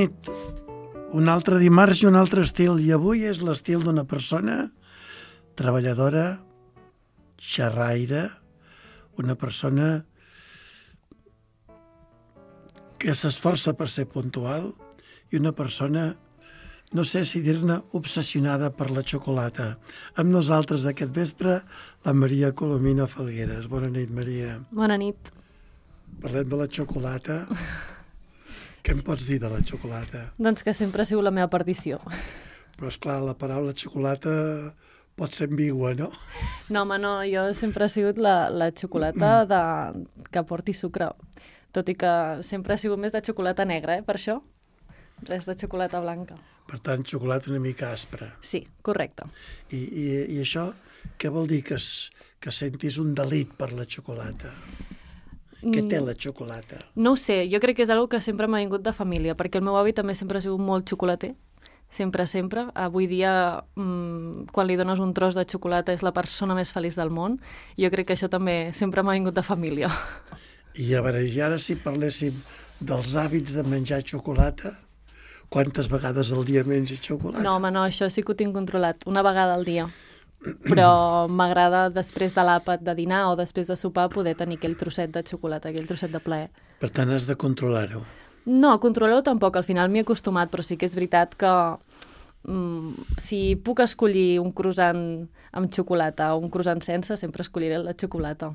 nit. Un altre dimarts i un altre estil. I avui és l'estil d'una persona treballadora, xerraire, una persona que s'esforça per ser puntual i una persona, no sé si dir-ne, obsessionada per la xocolata. Amb nosaltres aquest vespre, la Maria Colomina Falgueres. Bona nit, Maria. Bona nit. Parlem de la xocolata. Què em pots dir de la xocolata? Doncs que sempre ha sigut la meva perdició. Però, esclar, la paraula xocolata pot ser ambigua, no? No, home, no, jo sempre ha sigut la xocolata que porti sucre. Tot i que sempre ha sigut més de xocolata negra, per això. Res de xocolata blanca. Per tant, xocolata una mica aspra. Sí, correcte. I això què vol dir? Que sentis un delit per la xocolata? Què té la xocolata? No ho sé, jo crec que és una que sempre m'ha vingut de família, perquè el meu avi també sempre ha sigut molt xocolater. Sempre, sempre. Avui dia, quan li dones un tros de xocolata, és la persona més feliç del món. Jo crec que això també sempre m'ha vingut de família. I a veure, i ara si parléssim dels hàbits de menjar xocolata, quantes vegades al dia menges xocolata? No, home, no, això sí que ho tinc controlat, una vegada al dia. Però m'agrada després de l'àpat de dinar o després de sopar poder tenir aquell trosset de xocolata, aquell trosset de plaer. Per tant, has de controlar-ho. No, controlar-ho tampoc, al final m'hi he acostumat, però sí que és veritat que si puc escollir un croissant amb xocolata o un croissant sense, sempre escolliré la xocolata.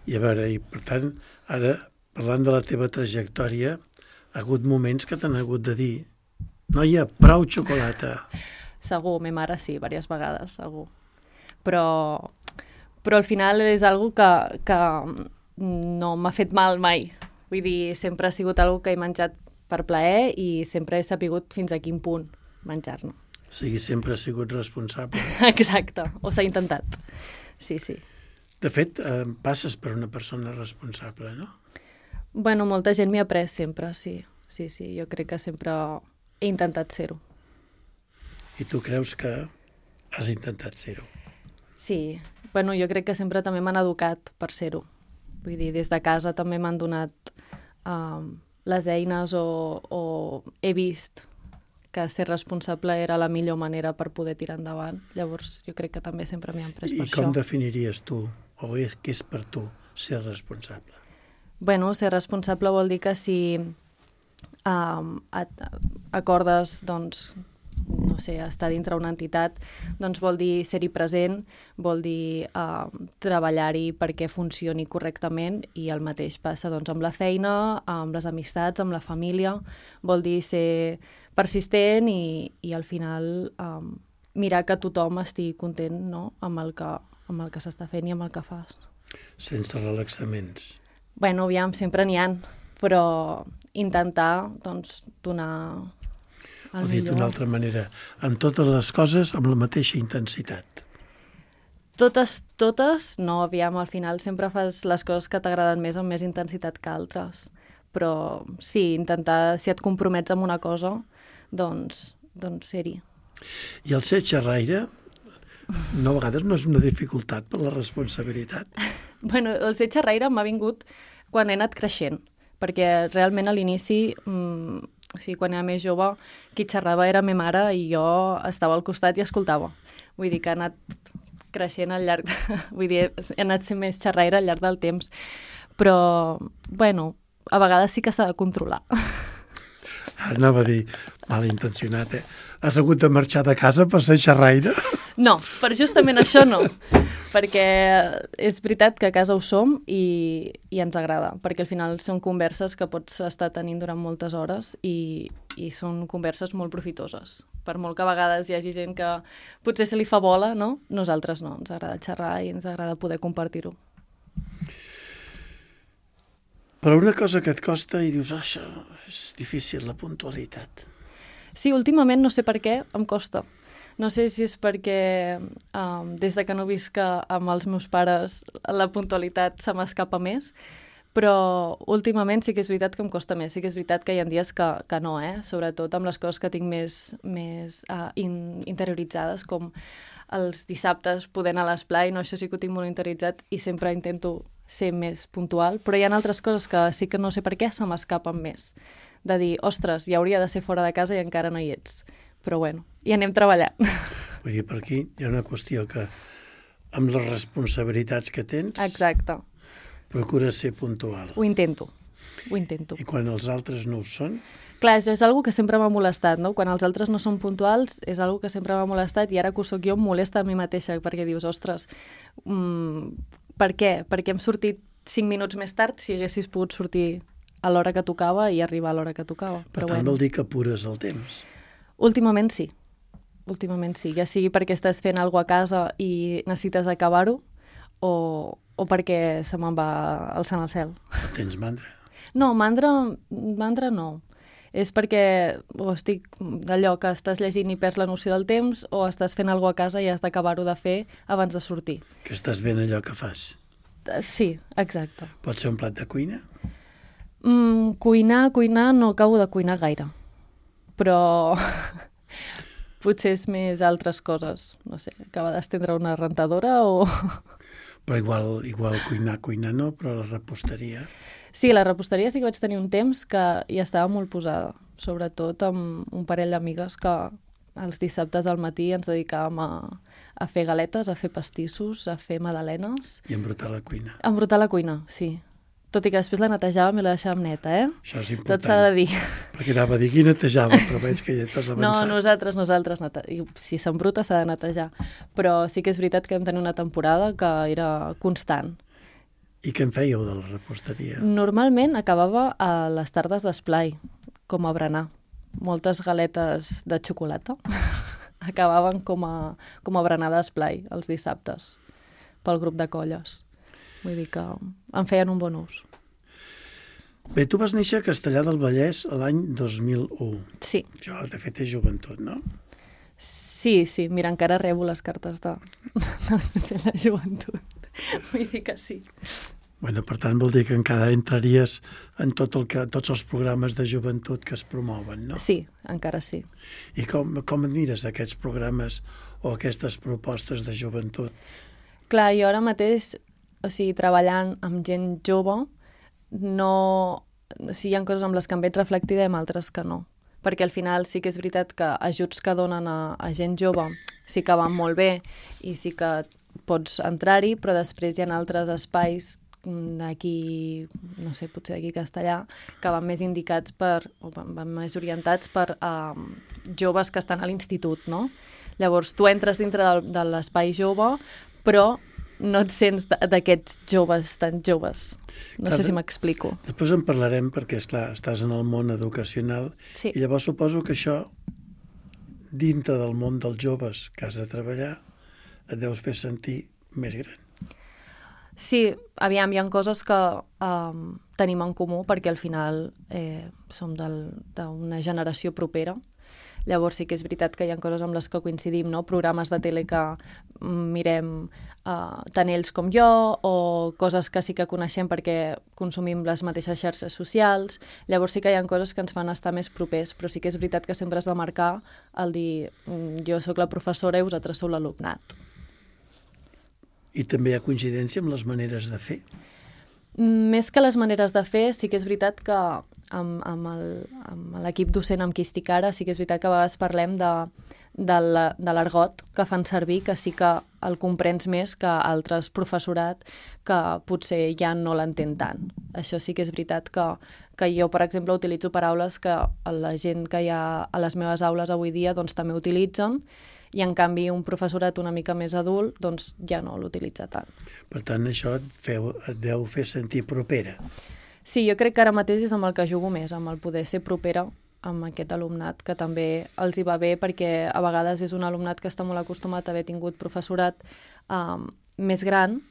I a veure, i per tant, ara, parlant de la teva trajectòria, ha hagut moments que t'han hagut de dir noia, prou xocolata. Segur, ma mare sí, diverses vegades, segur. Però al final és algo que no m'ha fet mal mai. Vull dir, sempre ha sigut algo que he menjat per plaer i sempre he sapigut fins a quin punt menjar-ne. O sigui, sempre has sigut responsable. Exacte, o s'ha intentat. Sí, sí. De fet, passes per una persona responsable, no? Bueno, molta gent m'hi ha après sempre, sí. Sí, sí, jo crec que sempre he intentat ser-ho. I tu creus que has intentat ser-ho? Sí, bueno, jo crec que sempre també m'han educat per ser-ho. Vull dir, des de casa també m'han donat les eines o he vist que ser responsable era la millor manera per poder tirar endavant. Llavors, jo crec que també sempre m'hi han pres per això. I com definiries tu, o què és per tu, ser responsable? Bueno, ser responsable vol dir que si acordes, doncs, no sé, estar dintre una entitat, doncs vol dir ser-hi present, vol dir treballar-hi perquè funcioni correctament i el mateix passa doncs, amb la feina, amb les amistats, amb la família, vol dir ser persistent i al final mirar que tothom estigui content, no? amb el que s'està fent i amb el que fas. Sense relaxaments. Bueno, aviam, sempre n'hi ha, però intentar doncs, donar el millor. O dit d'una altra manera, en totes les coses amb la mateixa intensitat. Totes, no, aviam, al final sempre fas les coses que t'agraden més amb més intensitat que altres. Però sí, intentar, si et compromets amb una cosa, doncs ser-hi. I el ser xerraire, no, a vegades no és una dificultat per la responsabilitat. Bueno, el ser xerraire m'ha vingut quan he anat creixent, perquè realment a l'inici, o sigui, quan era més jove, qui xerrava era ma mare i jo estava al costat i escoltava. Vull dir que ha anat creixent al llarg... Vull dir, he anat sent més xerraire al llarg del temps. Però, bueno, a vegades sí que s'ha de controlar. Ara anava a dir, malintencionat, Has hagut de marxar de casa per ser xerraire? No, per justament això no. Perquè és veritat que a casa ho som i ens agrada, perquè al final són converses que pots estar tenint durant moltes hores i són converses molt profitoses. Per molt que a vegades hi hagi gent que potser se li fa bola, no? Nosaltres no, ens agrada xerrar i ens agrada poder compartir-ho. Però una cosa que et costa i dius, això és difícil, la puntualitat. Sí, últimament no sé per què em costa. No sé si és perquè des de que no visc amb els meus pares la puntualitat se m'escapa més, però últimament sí que és veritat que em costa més. Sí que és veritat que hi ha dies que no, sobretot amb les coses que tinc més interioritzades, com els dissabtes poder anar a l'esplai, no? Això sí que ho tinc molt interioritzat i sempre intento ser més puntual, però hi ha altres coses que sí que no sé per què se m'escapen més. de dir, ostres, ja hauria de ser fora de casa i encara no hi ets. Però bueno, hi anem treballant. Vull dir, per aquí hi ha una qüestió que amb les responsabilitats que tens Exacte. procures ser puntual. Ho intento. I quan els altres no ho són? Clar, això és una que sempre m'ha molestat, no? Quan els altres no són puntuals és una que sempre m'ha molestat i ara que ho soc jo em molesta a mi mateixa perquè dius, ostres, per què? Per què hem sortit 5 minuts més tard si haguessis pogut sortir a l'hora que tocava i arribar a l'hora que tocava? Per tant, vol dir que apures el temps. Últimament sí, ja sigui perquè estàs fent alguna cosa a casa i necessites acabar-ho o perquè se me'n va alçant al cel. No tens mandra? No, mandra no. És perquè o estic d'allò que estàs llegint i perds la noció del temps o estàs fent alguna cosa a casa i has d'acabar-ho de fer abans de sortir. Que estàs fent allò que fas? Sí, exacte. Pot ser un plat de cuina? Cuinar, no acabo de cuinar gaire. Però potser és més altres coses. No sé, acaba d'estendre una rentadora o... Però igual cuinar no, però la reposteria... Sí, la reposteria sí que vaig tenir un temps que hi estava molt posada, sobretot amb un parell d'amigues que els dissabtes al matí ens dedicàvem a fer galetes, a fer pastissos, a fer magdalenes. I embrutar la cuina. Embrutar la cuina, sí. Tot i que després la netejàvem i la deixàvem neta, Això és important. Tot s'ha de dir. Perquè anava a dir qui netejava, però veig que ja t'has avançat. No, nosaltres si s'embruta s'ha de netejar. Però sí que és veritat que vam tenir una temporada que era constant. I què en fèieu de la reposteria? Normalment acabava a les tardes d'esplai, com a berenar. Moltes galetes de xocolata acabaven com a berenar d'esplai els dissabtes pel grup de colles. Vull dir que en feien un bon ús. Bé, tu vas néixer a Castellar del Vallès l'any 2001. Sí. Això, de fet, és joventut, no? Sí. Mira, encara rebo les cartes de la joventut. Vull dir que sí. Bueno, per tant, vol dir que encara entraries en tots els programes de joventut que es promouen, no? Sí, encara sí. I com admires aquests programes o aquestes propostes de joventut? Clar, jo ara mateix, treballant amb gent jove, hi ha coses amb les que em veig reflectida i amb altres que no. Perquè al final sí que és veritat que ajuts que donen a gent jove sí que van molt bé i sí que pots entrar-hi, però després hi ha altres espais d'aquí, no sé, potser d'aquí Castellà, que van més indicats van més orientats per joves que estan a l'institut, no? Llavors, tu entres dintre de l'espai jove, però no et sents d'aquests joves tan joves. No sé si m'explico. Després en parlarem perquè, esclar, estàs en el món educacional i llavors suposo que això, dintre del món dels joves que has de treballar, et deus fer sentir més gran. Sí, aviam, hi ha coses que tenim en comú perquè al final som d'una generació propera. Llavors sí que és veritat que hi ha coses amb les que coincidim, no? Programes de tele que mirem tant ells com jo, o coses que sí que coneixem perquè consumim les mateixes xarxes socials. Llavors sí que hi ha coses que ens fan estar més propers, però sí que és veritat que sempre has de marcar el dir jo sóc la professora i vosaltres sou l'alumnat. I també hi ha coincidència amb les maneres de fer? Més que les maneres de fer, sí que és veritat que amb l'equip docent amb qui estic ara, sí que és veritat que a vegades parlem de l'argot que fan servir, que sí que el comprens més que altres professorat que potser ja no l'entén tant. Això sí que és veritat que jo, per exemple, utilitzo paraules que la gent que hi ha a les meves aules avui dia doncs, també utilitzen, i en canvi un professorat una mica més adult doncs ja no l'utilitza tant. Per tant, això et deu fer sentir propera. Sí, jo crec que ara mateix és amb el que jugo més, amb el poder ser propera amb aquest alumnat, que també els hi va bé perquè a vegades és un alumnat que està molt acostumat a haver tingut professorat més gran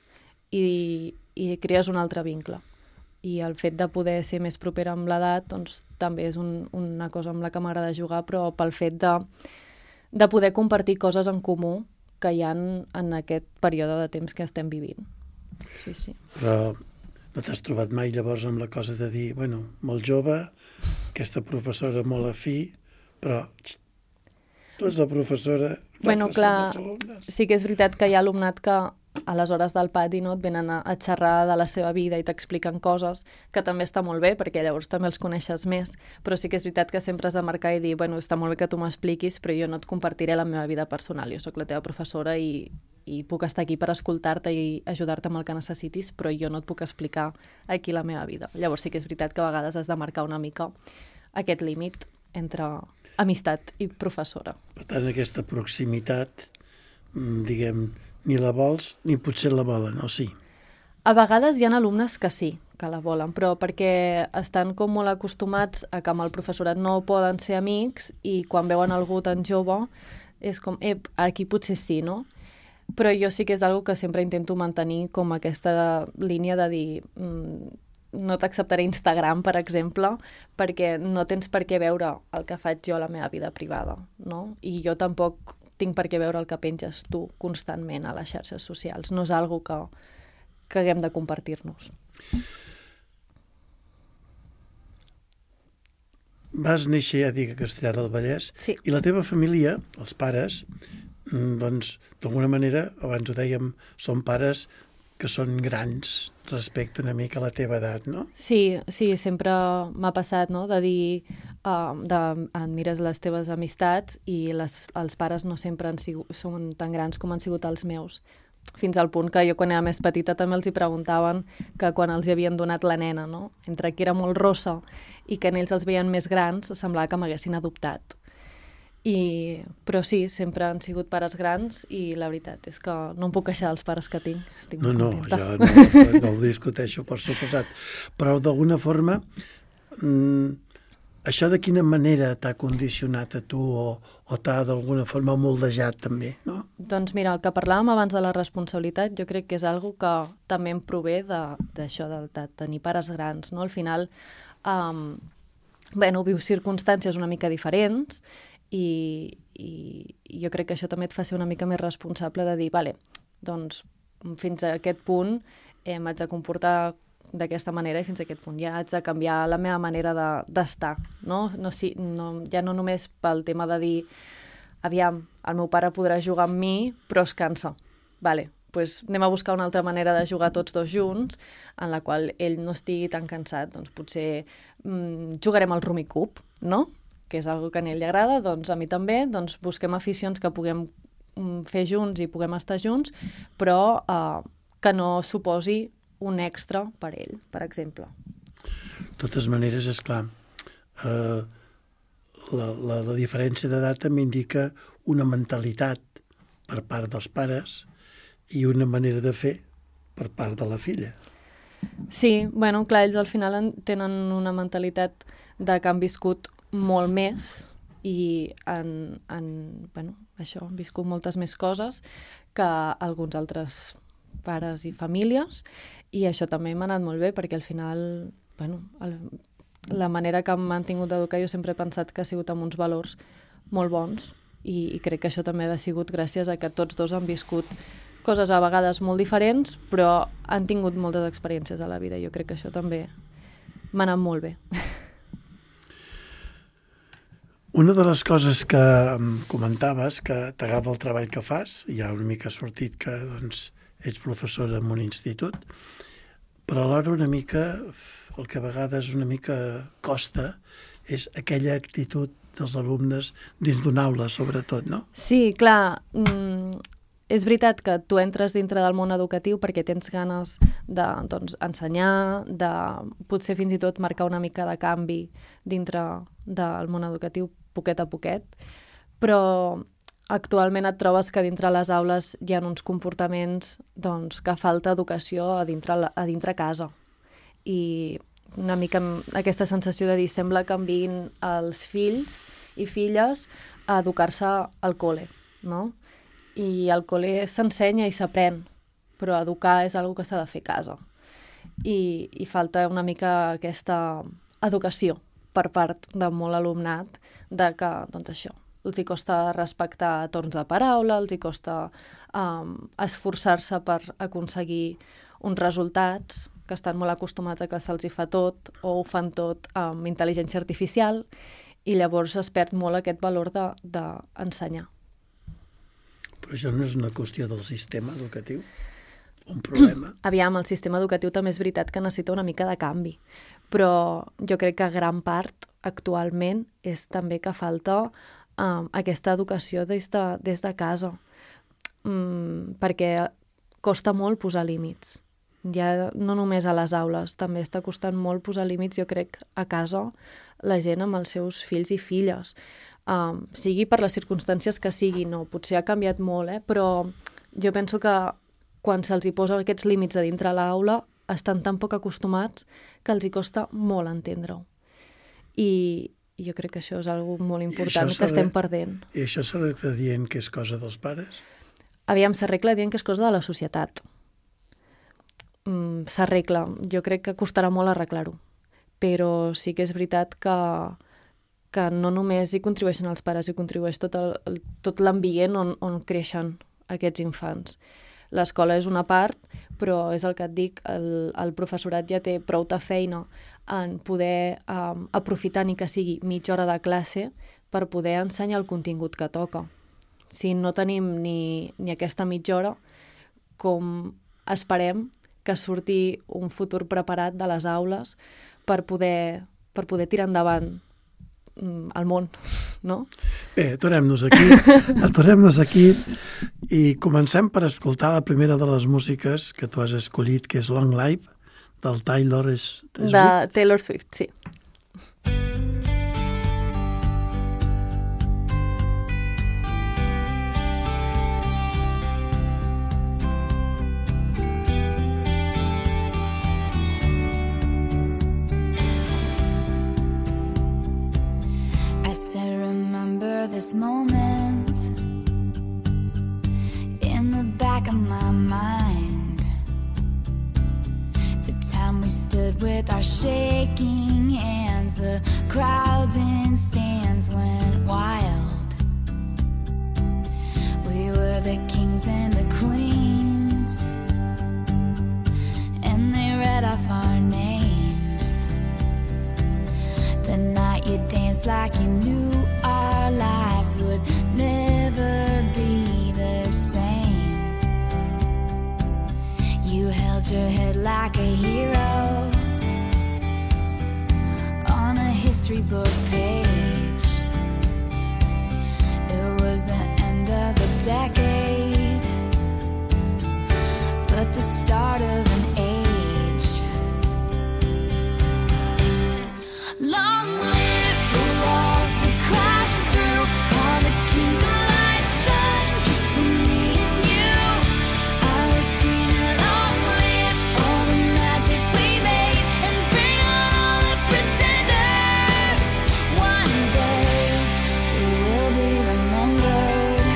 i crees un altre vincle. I el fet de poder ser més propera amb l'edat doncs, també és una cosa amb la que m'agrada jugar, però pel fet de poder compartir coses en comú que hi ha en aquest període de temps que estem vivint. Sí. Però no t'has trobat mai llavors amb la cosa de dir, bueno, molt jove, aquesta professora molt afí, però tu ets la professora, bueno, clar, sí que és veritat que hi ha alumnat que a les hores del pati no, et venen a xerrar de la seva vida i t'expliquen coses, que també està molt bé, perquè llavors també els coneixes més, però sí que és veritat que sempre has de marcar i dir, bueno, està molt bé que tu m'expliquis, però jo no et compartiré la meva vida personal, jo sóc la teva professora i puc estar aquí per escoltar-te i ajudar-te amb el que necessitis, però jo no et puc explicar aquí la meva vida. Llavors sí que és veritat que a vegades has de marcar una mica aquest límit entre amistat i professora. Per tant, aquesta proximitat, diguem, ni la vols ni potser la volen, o sí? A vegades hi ha alumnes que sí, que la volen, però perquè estan com molt acostumats a que amb el professorat no poden ser amics i quan veuen algú tan jove és com, aquí potser sí, no? Però jo sí que és algo que sempre intento mantenir com aquesta línia de dir no t'acceptaré Instagram, per exemple, perquè no tens per què veure el que faig jo a la meva vida privada, no? I jo tampoc tinc per què veure el que penges tu constantment a les xarxes socials. No és algo que haguem de compartir-nos. Vas néixer, ja dic, a Castellar del Vallès, sí. I la teva família, els pares, doncs, d'alguna manera, abans ho dèiem, són pares que són grans respecte una mica a la teva edat, no? Sí, sempre m'ha passat, no?, de dir, admires les teves amistats i els pares no sempre són tan grans com han sigut els meus. Fins al punt que jo, quan era més petita, també els hi preguntaven que quan els hi havien donat la nena, no?, entre que era molt rossa i que en ells els veien més grans, semblava que m'haguessin adoptat. Però sí, sempre han sigut pares grans i la veritat és que no em puc queixar dels pares que tinc. Estic molt contenta. Jo no ho discuteixo, per suposat. Però d'alguna forma, això de quina manera t'ha condicionat a tu o t'ha d'alguna forma moldejat també, no? Doncs mira, el que parlàvem abans de la responsabilitat jo crec que és algo que també em prové d'això, de tenir pares grans, no? Al final, vius circumstàncies una mica diferents i jo crec que això també et fa ser una mica més responsable de dir, doncs fins a aquest punt m'haig de comportar d'aquesta manera i fins a aquest punt ja haig de canviar la meva manera d'estar, no? Ja no només pel tema de dir, aviam, el meu pare podrà jugar amb mi, però es cansa. Doncs anem a buscar una altra manera de jugar tots dos junts, en la qual ell no estigui tan cansat. Doncs potser jugarem al Rummikub, no?, que és una que a ell li agrada, doncs a mi també, doncs busquem aficions que puguem fer junts i puguem estar junts, però que no suposi un extra per ell, per exemple. De totes maneres, és clar, la diferència d'edat també indica una mentalitat per part dels pares i una manera de fer per part de la filla. Sí, clar, ells al final tenen una mentalitat de que han viscut molt més i han viscut moltes més coses que alguns altres pares i famílies, i això també m'ha anat molt bé perquè al final, la manera que m'han tingut d'educar jo sempre he pensat que ha sigut amb uns valors molt bons i crec que això també ha sigut gràcies a que tots dos han viscut coses a vegades molt diferents, però han tingut moltes experiències a la vida. Jo crec que això també m'ha anat molt bé. Una de les coses que comentaves, que t'agrada el treball que fas, ja una mica ha sortit que ets professora en un institut, però alhora una mica, el que a vegades una mica costa, és aquella actitud dels alumnes dins d'una aula, sobretot, no? Sí, clar, és veritat que tu entres dintre del món educatiu perquè tens ganes d'ensenyar, de potser fins i tot marcar una mica de canvi dintre del món educatiu poquet a poquet, però actualment et trobes que dintre les aules hi ha uns comportaments que falta educació a dintre casa. I una mica aquesta sensació de dir, sembla que enviïn els fills i filles a educar-se al col·le, no? I al col·le s'ensenya i s'aprèn, però educar és una cosa que s'ha de fer a casa. I falta una mica aquesta educació per part de molt alumnat, de que, això, els hi costa respectar torns de paraula, els hi costa esforçar-se per aconseguir uns resultats, que estan molt acostumats a que se'ls hi fa tot, o ho fan tot amb intel·ligència artificial, i llavors es perd molt aquest valor d'ensenyar. Però això no és una qüestió del sistema educatiu? un problema. Aviam, el sistema educatiu també és veritat que necessita una mica de canvi, però jo crec que gran part actualment és també que falta aquesta educació des de casa, perquè costa molt posar límits. Ja no només a les aules, també està costant molt posar límits, jo crec, a casa, la gent amb els seus fills i filles. Sigui per les circumstàncies que sigui, no, potser ha canviat molt, però jo penso que quan se'ls hi posa aquests límits a dintre l'aula estan tan poc acostumats que els hi costa molt entendre-ho. I jo crec que això és una cosa molt important que estem perdent. I això s'arregla dient que és cosa dels pares? Aviam, s'arregla dient que és cosa de la societat. S'arregla. Jo crec que costarà molt arreglar-ho. Però sí que és veritat que no només hi contribueixen els pares, hi contribueix tot l'ambient on creixen aquests infants. L'escola és una part, però és el que et dic, el professorat ja té prou de feina en poder aprofitar ni que sigui mitja hora de classe per poder ensenyar el contingut que toca. Si no tenim ni aquesta mitja hora, com esperem que surti un futur preparat de les aules per poder tirar endavant el món, no? Bé, aturem-nos aquí i comencem per escoltar la primera de les músiques que tu has escollit, que és Long Live, del Taylor Swift. De Taylor Swift, sí. This moment in the back of my mind, the time we stood with our shaking hands, the crowds in stands went wild. We were the kings and the queens, and they read off our names. The night you danced like you knew our lives would never be the same. You held your head like a hero on a history book page. It was the end of a decade, but the start of an age. Long live the walls we crashed through, all the kingdom lights shine just for me and you. I was screaming, long live all the magic we made, and bring on all the pretenders. One day we will be remembered.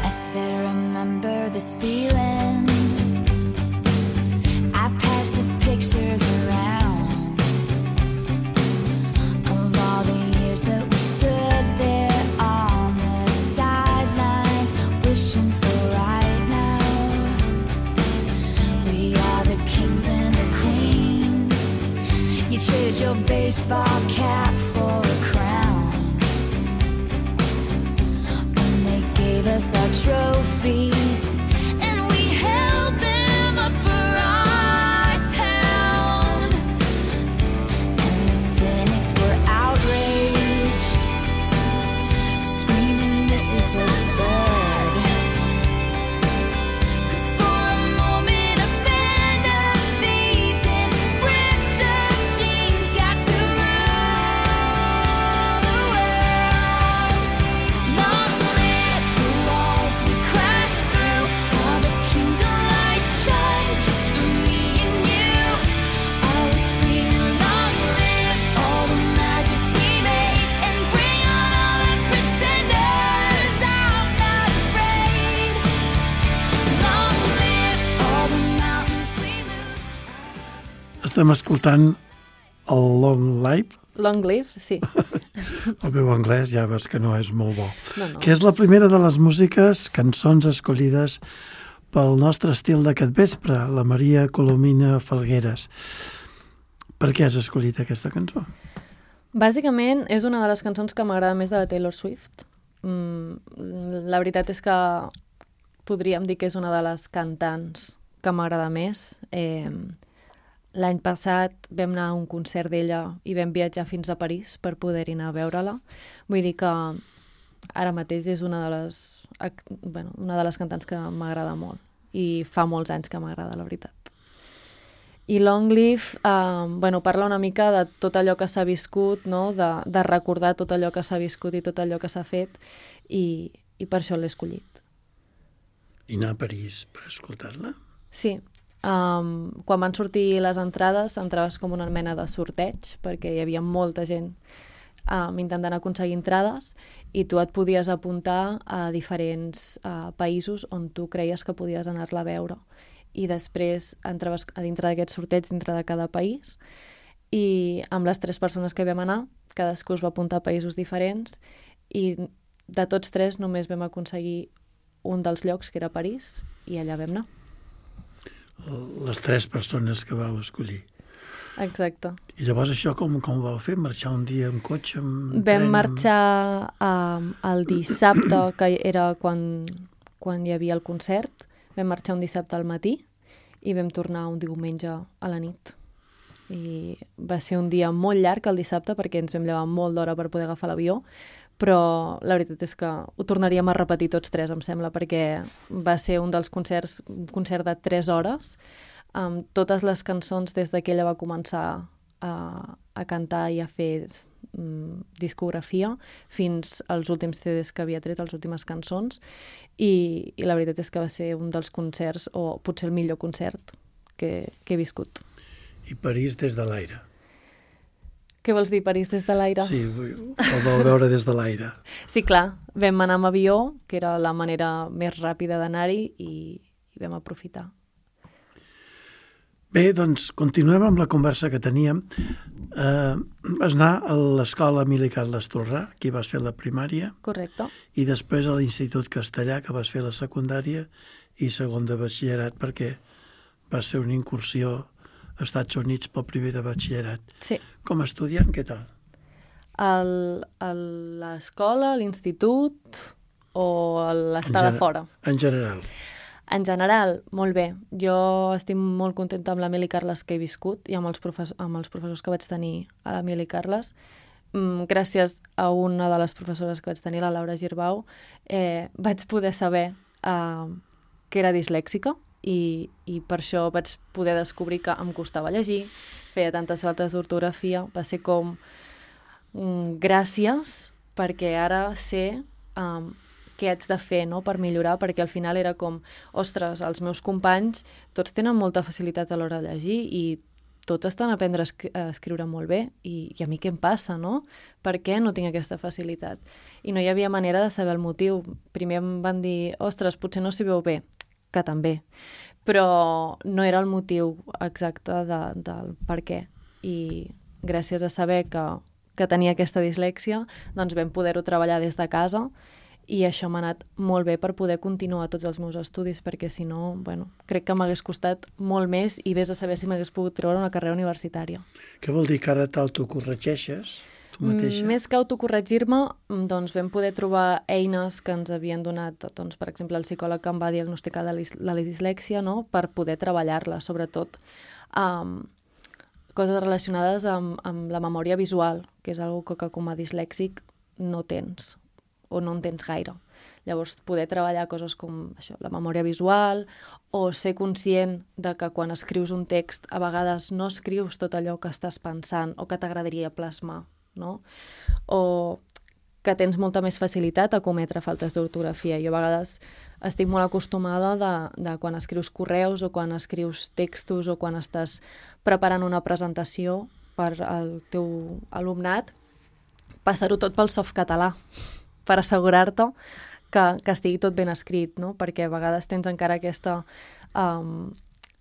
I said, remember this feeling. I passed the pictures around of all the years that we stood there on the sidelines, wishing for right now. We are the kings and the queens. You traded your baseball cap for a crown, and they gave us our trophies, and we held them up for our town. And the cynics were outraged, screaming, this is absurd. 'Cause for a moment a band of thieves in ripped up jeans got to rule the world. Long live the walls we crashed through, all the kingdom lights shine just for me and you. I was screaming, long live all the magic we made, and bring on all the pretenders. I'm not afraid. Long live all the mountains we moved. Estem escoltant el Long Live. Long live, sí. El meu anglès ja veus que no és molt bo. No. Que és la primera de les músiques, cançons escollides pel nostre estil d'aquest vespre, la Maria Colomina Falgueres. Per què has escollit aquesta cançó? Bàsicament és una de les cançons que m'agrada més de la Taylor Swift. La veritat és que podríem dir que és una de les cantants que m'agrada més. L'any passat vam anar a un concert d'ella i vam viatjar fins a París per poder-hi anar a veure-la. Vull dir que ara mateix és una de les cantants que m'agrada molt i fa molts anys que m'agrada, la veritat. I Longleaf parla una mica de tot allò que s'ha viscut, no? de recordar tot allò que s'ha viscut i tot allò que s'ha fet, i per això l'he escollit. I anar a París per escoltar-la? Sí. Quan van sortir les entrades, entraves com una mena de sorteig, perquè hi havia molta gent intentant aconseguir entrades, i tu et podies apuntar a diferents països on tu creies que podies anar-la a veure. I després entraves a dintre d'aquest sorteig, dintre de cada país, i amb les 3 persones que vam anar, cadascú es va apuntar a països diferents, i de tots 3 només vam aconseguir un dels llocs, que era París, i allà vam anar. Les 3 persones que vau escollir. Exacte. I llavors això com ho vau fer? Marxar un dia en cotxe, en Vam tren? marxar el dissabte, que era quan hi havia el concert. Vam marxar un dissabte al matí i vam tornar un diumenge a la nit. I va ser un dia molt llarg el dissabte perquè ens vam llevar molt d'hora per poder agafar l'avió, però la veritat és que ho tornaríem a repetir tots 3, em sembla, perquè va ser un dels concerts, un concert de 3 hores, amb totes les cançons des que ella va començar a cantar i a fer discografia fins als últims CDs que havia tret, les últimes cançons, i la veritat és que va ser un dels concerts, o potser el millor concert que he viscut. I París des de l'aire. Què vols dir, París des de l'aire? Sí, el vau veure des de l'aire. Sí, clar, vam anar amb avió, que era la manera més ràpida d'anar-hi, i vam aprofitar. Bé, doncs continuem amb la conversa que teníem. Vas anar a l'escola Emili Carles Torrà, aquí vas fer la primària, Correcte. i després a l'Institut Castellà, que vas fer la secundària i segon de batxillerat, perquè vas fer una incursió als Estats Units pel primer de batxillerat. Sí. Com a estudiant, què tal? A l'escola, a l'institut o a l'estar de fora? En general. En general, molt bé. Jo estic molt contenta amb l'Emili Carles que he viscut i amb els professors que vaig tenir a l'Emili Carles. Gràcies a una de les professores que vaig tenir, la Laura Girbau, vaig poder saber que era dislèxica i per això vaig poder descobrir que em costava llegir, feia tantes faltes d'ortografia. Va ser com gràcies, perquè ara sé què haig de fer, no?, per millorar, perquè al final era com, ostres, els meus companys tots tenen molta facilitat a l'hora de llegir i tots estan a aprendre a escriure molt bé, i a mi què em passa, no? Per què no tinc aquesta facilitat? I no hi havia manera de saber el motiu. Primer em van dir, ostres, potser no s'hi veu bé, que també, però no era el motiu exacte del per què. I gràcies a saber que tenia aquesta dislèxia, doncs vam poder-ho treballar des de casa, i això m'ha anat molt bé per poder continuar tots els meus estudis, perquè si no, crec que m'hagués costat molt més, i vés a saber si m'hagués pogut treure una carrera universitària. Què vol dir que ara t'autocorregeixes tu mateixa? Més que autocorregir-me, doncs vam poder trobar eines que ens havien donat, doncs, per exemple, el psicòleg que em va diagnosticar de la dislèxia, no?, per poder treballar-la, sobretot coses relacionades amb la memòria visual, que és una cosa que com a dislèxic no tens, o no en tens gaire. Llavors, poder treballar coses com això, la memòria visual, o ser conscient de que quan escrius un text a vegades no escrius tot allò que estàs pensant o que t'agradaria plasmar, no? O que tens molta més facilitat a cometre faltes d'ortografia. Jo a vegades estic molt acostumada de quan escrius correus o quan escrius textos o quan estàs preparant una presentació per al teu alumnat, passar-ho tot pel softcatalà, per assegurar-te que estigui tot ben escrit, no? Perquè a vegades tens encara aquesta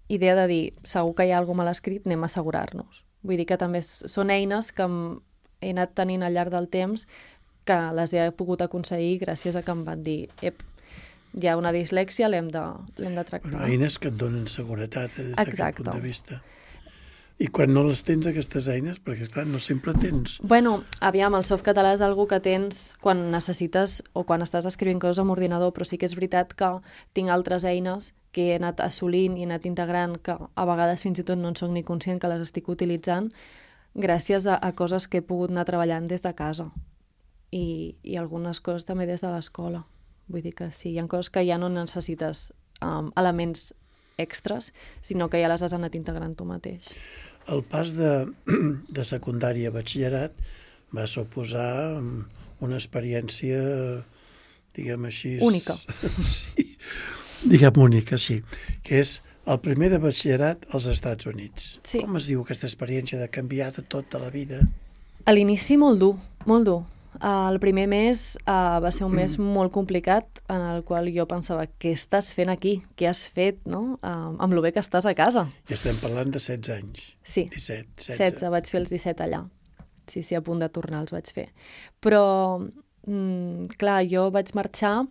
idea de dir, segur que hi ha alguna mal escrit, anem a assegurar-nos. Vull dir que també són eines que he anat tenint al llarg del temps, que les he pogut aconseguir gràcies a que em van dir, hi ha una dislèxia, l'hem de tractar. Eines que et donen seguretat des d'aquest punt de vista. I quan no les tens, aquestes eines, perquè, clar, no sempre tens. Bueno, aviam, el softcatalà és algo que tens quan necessites o quan estàs escrivint coses amb ordinador, però sí que és veritat que tinc altres eines que he anat assolint i he anat integrant, que a vegades fins i tot no en soc ni conscient que les estic utilitzant, gràcies a coses que he pogut anar treballant des de casa. I algunes coses també des de l'escola. Vull dir que sí, hi ha coses que ja no necessites elements extras, sinó que ja les has anat integrant tu mateix. El pas de secundària a batxillerat va suposar una experiència, diguem així... Única. Sí, diguem única, sí, que és el primer de batxillerat als Estats Units. Sí. Com es diu aquesta experiència de canviar de tota la vida? A l'inici molt dur, molt dur. El primer mes va ser un mes molt complicat en el qual jo pensava, què estàs fent aquí? Què has fet, no? Amb lo bé que estàs a casa. I estem parlant de 16 anys. Sí, 17, 16. 16, vaig fer els 17 allà. Sí, a punt de tornar els vaig fer. Però, clar, jo vaig marxar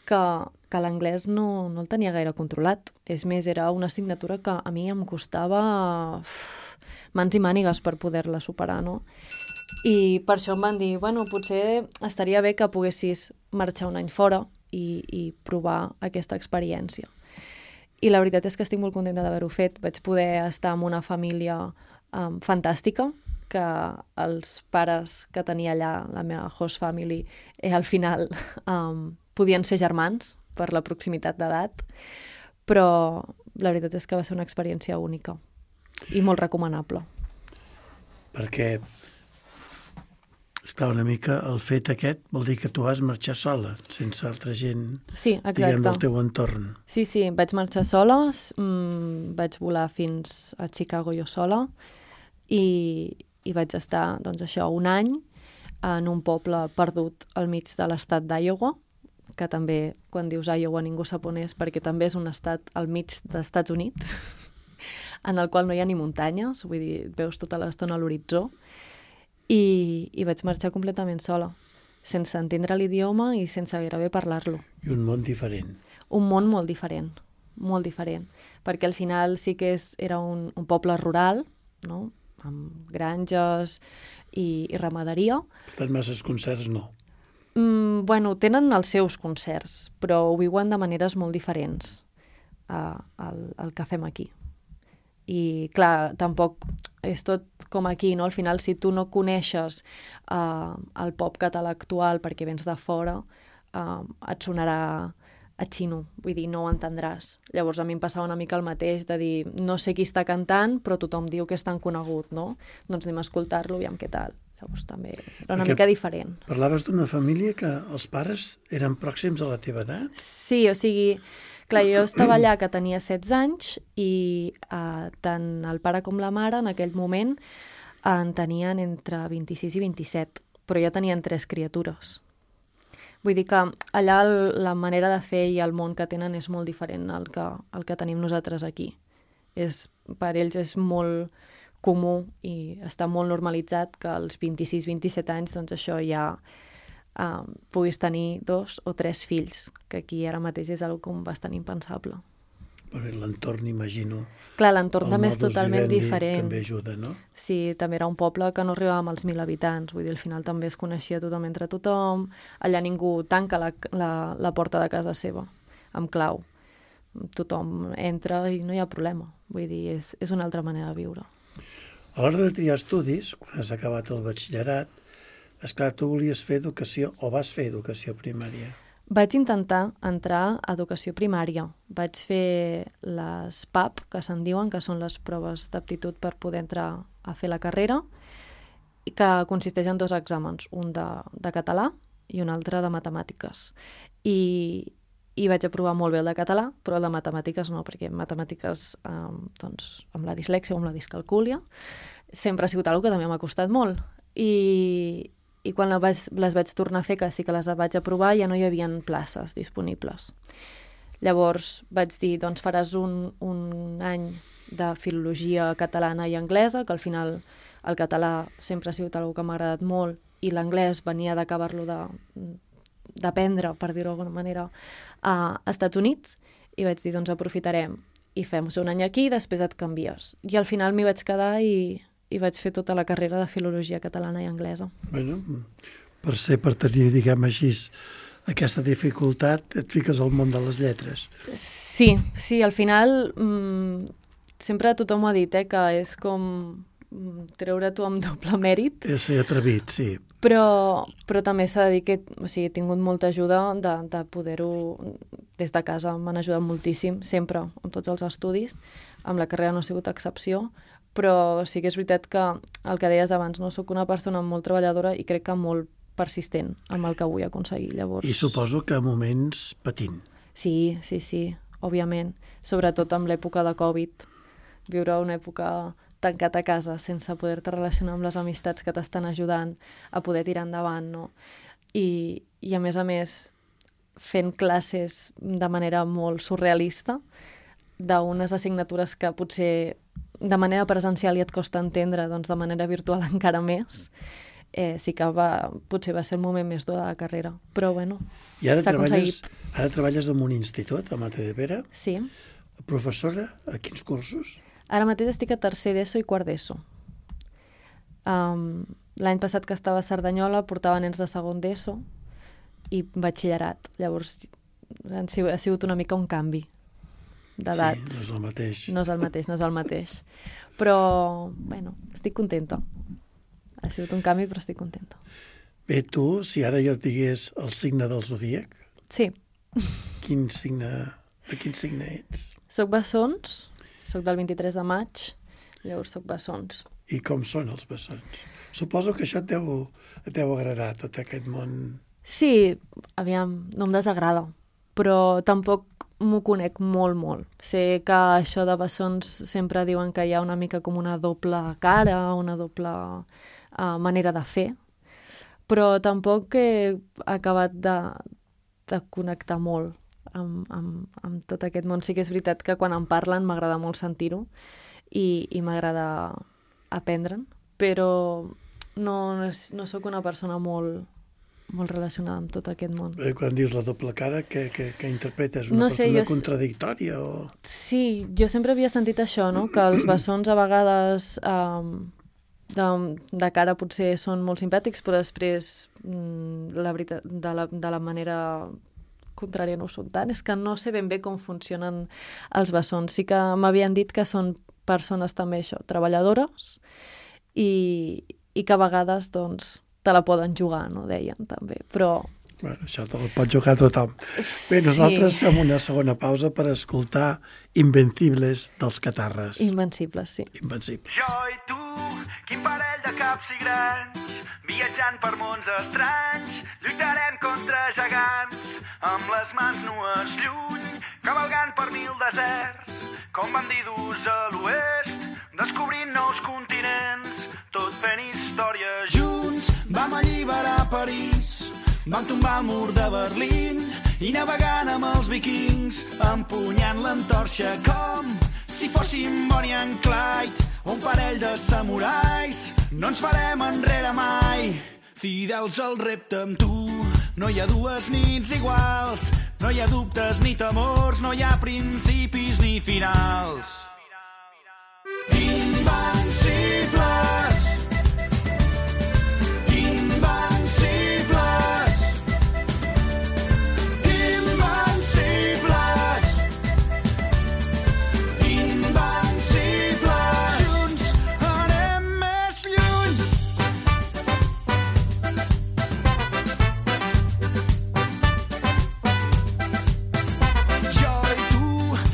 que l'anglès no el tenia gaire controlat. És més, era una assignatura que a mi em costava mans i mànigues per poder-la superar, no? I per això em van dir, bueno, potser estaria bé que poguessis marxar un any fora i provar aquesta experiència. I la veritat és que estic molt contenta d'haver-ho fet. Vaig poder estar amb una família fantàstica, que els pares que tenia allà, la meva host family, al final podien ser germans per la proximitat d'edat, però la veritat és que va ser una experiència única i molt recomanable. Perquè, esclar, una mica el fet aquest vol dir que tu vas marxar sola, sense altra gent, Sí, diguem, del exacte. teu entorn. Sí, vaig marxar sola, vaig volar fins a Chicago jo sola i vaig estar, doncs això, un any en un poble perdut al mig de l'estat d'Iowa, que també, quan dius Iowa, ningú sap on és, perquè també és un estat al mig dels Estats Units, en el qual no hi ha ni muntanyes, vull dir, et veus tota l'estona a l'horitzó, i vaig marxar completament sola, sense entendre l'idioma i sense gairebé parlar-lo. I un món diferent. Un món molt diferent, perquè al final sí que era un poble rural, no? Amb granges i ramaderia. Per tant, masses concerts no. Bueno, tenen els seus concerts, però ho viuen de maneres molt diferents al que fem aquí. I, clar, tampoc és tot com aquí, no? Al final, si tu no coneixes el pop català actual perquè vens de fora, et sonarà a xino, vull dir, no ho entendràs. Llavors a mi em passava una mica el mateix, de dir, no sé qui està cantant, però tothom diu que és tan conegut, no? Doncs anem a escoltar-lo, aviam què tal. Llavors també era una mica diferent. Parlaves d'una família que els pares eren pròxims a la teva edat? Sí, o sigui, clar, jo estava allà que tenia 16 anys i tant el pare com la mare en aquell moment en tenien entre 26 i 27, però ja tenien 3 criatures. Vull dir que allà la manera de fer i el món que tenen és molt diferent al que tenim nosaltres aquí. Per ells és molt comú i està molt normalitzat que als 26-27 anys doncs això ja puguis tenir 2 o 3 fills, que aquí ara mateix és algo com bastant impensable. Però l'entorn, imagino... Clar, l'entorn el també és modus totalment vivendi diferent. també ajuda, no? Sí, també era un poble que no arribàvem als 1.000 habitants, vull dir, al final també es coneixia tothom entre tothom, allà ningú tanca la porta de casa seva, amb clau. Tothom entra i no hi ha problema, vull dir, és una altra manera de viure. A l'hora de triar estudis, quan has acabat el batxillerat, esclar, tu volies fer educació o vas fer educació primària? Vaig intentar entrar a educació primària. Vaig fer les PAP, que se'n diuen, que són les proves d'aptitud per poder entrar a fer la carrera, i que consisteix en 2 exàmens, un de català i un altre de matemàtiques. I vaig aprovar molt bé el de català, però el de matemàtiques no, perquè matemàtiques, doncs, amb la dislèxia o amb la discalcúlia, sempre ha sigut una cosa que també m'ha costat molt. I quan les vaig tornar a fer, que sí que les vaig aprovar, ja no hi havia places disponibles. Llavors vaig dir, doncs faràs un any de filologia catalana i anglesa, que al final el català sempre ha sigut una cosa que m'ha agradat molt, i l'anglès venia d'acabar-lo d'aprendre, per dir-ho d'alguna manera, a Estats Units, i vaig dir, doncs aprofitarem i fem un any aquí i després et canvies. I al final m'hi vaig quedar i vaig fer tota la carrera de filologia catalana i anglesa. Bueno, per tenir, diguem així, aquesta dificultat, et fiques al món de les lletres. Sí, al final sempre tothom ho ha dit, que és com treure tu amb doble mèrit. És ser atrevit, sí. Però també s'ha de dir que he tingut molta ajuda de poder-ho des de casa. M'han ajudat moltíssim, sempre, amb tots els estudis. Amb la carrera no ha sigut excepció, però sí que és veritat que el que deies abans, no soc una persona molt treballadora i crec que molt persistent amb el que vull aconseguir. Llavors... I suposo que a moments patint. Sí, òbviament. Sobretot amb l'època de Covid. Viure una època tancat a casa sense poder-te relacionar amb les amistats que t'estan ajudant a poder tirar endavant, no? I a més, fent classes de manera molt surrealista, d'unes assignatures que potser de manera presencial ja et costa entendre, doncs de manera virtual encara més, sí que potser va ser el moment més dur de la carrera. Però bueno, s'ha aconseguit. Ara treballes en un institut, a Matadepera? Sí. Professora, a quins cursos? Ara mateix estic a tercer d'ESO i quart d'ESO. L'any passat que estava a Cerdanyola portava nens de segon d'ESO i batxillerat. Llavors ha sigut una mica un canvi d'edats. Sí, no és el mateix. No és el mateix. Però, bueno, estic contenta. Ha sigut un canvi, però estic contenta. Bé, tu, si ara jo et digués el signe del zodíac... Sí. De quin signe ets? Soc bessons, soc del 23 de maig, llavors soc bessons. I com són els bessons? Suposo que això et deu agradar, tot aquest món... Sí, aviam, no em desagrada, però tampoc m'ho conec molt. Sé que això de bessons sempre diuen que hi ha una mica com una doble cara, una doble manera de fer, però tampoc he acabat de connectar molt amb tot aquest món. Sí que és veritat que quan em parlen m'agrada molt sentir-ho i m'agrada aprendre'n, però no sóc una persona molt relacionada amb tot aquest món. Quan dius la doble cara, què interpretes? Una persona contradictòria? O... Sí, jo sempre havia sentit això, no? Que els bessons a vegades de cara potser són molt simpàtics, però després la veritat, de la manera contrària no ho són tant. És que no sé ben bé com funcionen els bessons. Sí que m'havien dit que són persones també això, treballadores i que a vegades doncs te la poden jugar, no? Deien també, però... Bueno, això te la pot jugar tothom. Bé, nosaltres fem una segona pausa per escoltar Invencibles dels Catarres. Invencibles, sí. Invencibles. Jo i tu, quin parell de caps i grans, viatjant per mons estranys, lluitarem contra gegants, amb les mans nues lluny, cavalgant per 1000 deserts, com bandidus a l'oest, descobrint nous continents, tot fent història junts. Vam alliberar París, vam tombar el mur de Berlín i navegant amb els vikings, empunyant l'antorxa com si fóssim Bonnie and Clyde, un parell de samurais. No ens farem enrere mai, fidels al repte amb tu. No hi ha dues nits iguals, no hi ha dubtes ni temors, no hi ha principis ni finals. Invencibles, invencibles, invencibles, invencibles. Junts anem més lluny. Jo i tu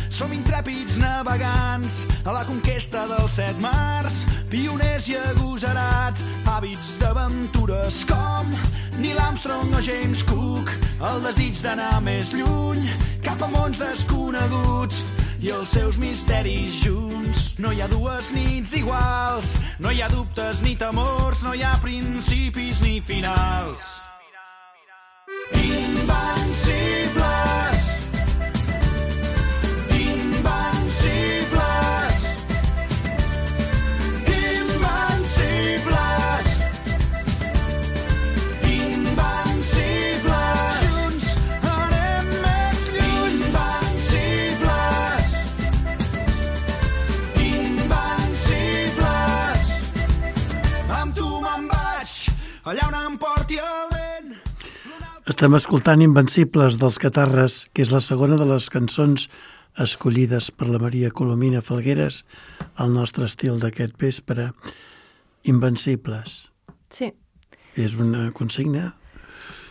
som intrèpids navegants a la conquesta dels 7 mars, pioners i agosarats, hàbits d'aventures com Neil Armstrong o James Cook, el desig d'anar més lluny, cap a mons desconeguts i els seus misteris junts. No hi ha dues nits iguals, no hi ha dubtes ni temors, no hi ha principis ni finals. Invencibles, invencibles, invencibles, invencibles. Junts anem més lluny. Invencibles, Estem escoltant Invencibles dels Catarres, que és la segona de les cançons escollides per la Maria Colomina Falgueres al nostre estil d'aquest vespre. Invencibles. Sí, És una consigna?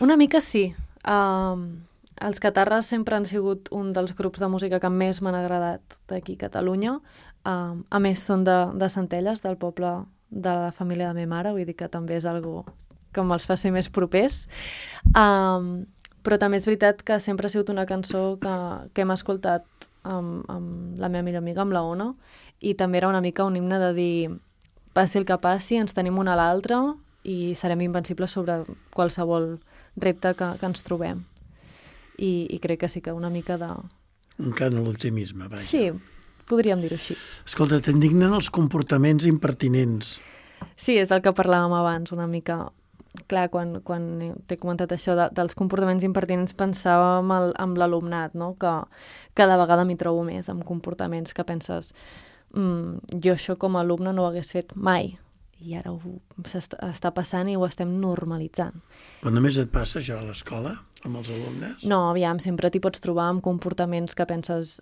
una mica sí. Els Catarres sempre han sigut un dels grups de música que més m'han agradat d'aquí a Catalunya. A més, són de Centelles, del poble de la família de la meva mare, vull dir que també és algo que me'ls fa ser més propers. Però també és veritat que sempre ha sigut una cançó que hem escoltat amb la meva millor amiga, amb la Ona, i també era una mica un himne de dir passi el que passi, ens tenim una a l'altra i serem invencibles sobre qualsevol repte que ens trobem. I crec que sí que una mica de... Un cant a l'optimisme, vaja. Sí, podríem dir-ho així. Escolta, t'indignen els comportaments impertinents. Sí, és del que parlàvem abans, una mica. Clar, quan t'he comentat això dels comportaments impertinents, pensava amb l'alumnat, no? Que cada vegada m'hi trobo més amb comportaments que penses jo això com a alumne no ho hagués fet mai. I ara està passant i ho estem normalitzant. Però només et passa això a l'escola, amb els alumnes? No, aviam, sempre t'hi pots trobar amb comportaments que penses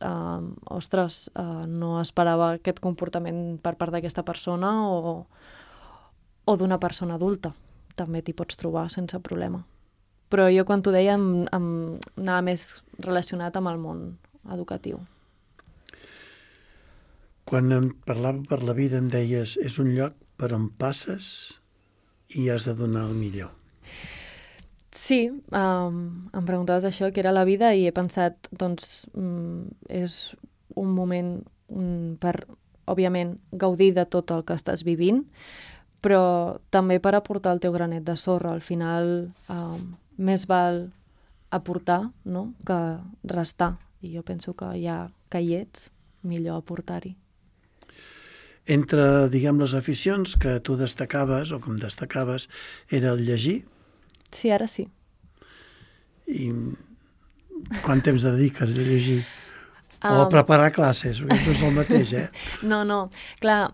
ostres, no esperava aquest comportament per part d'aquesta persona o d'una persona adulta. També t'hi pots trobar sense problema. Però jo quan t'ho deia em anava més relacionat amb el món educatiu. Quan em parlava per la vida em deies és un lloc per on passes i has de donar el millor. Sí, em preguntaves això, què era la vida, i he pensat, doncs, és un moment per, òbviament, gaudir de tot el que estàs vivint, però també per aportar el teu granet de sorra. Al final, més val aportar, no?, que restar. I jo penso que ja que hi ets, millor aportar-hi. Entre, diguem, les aficions que tu destacaves, o com destacaves, era el llegir. Sí, ara sí. I quant temps dediques a llegir? O a preparar classes, perquè no és el mateix, eh? No. Clar,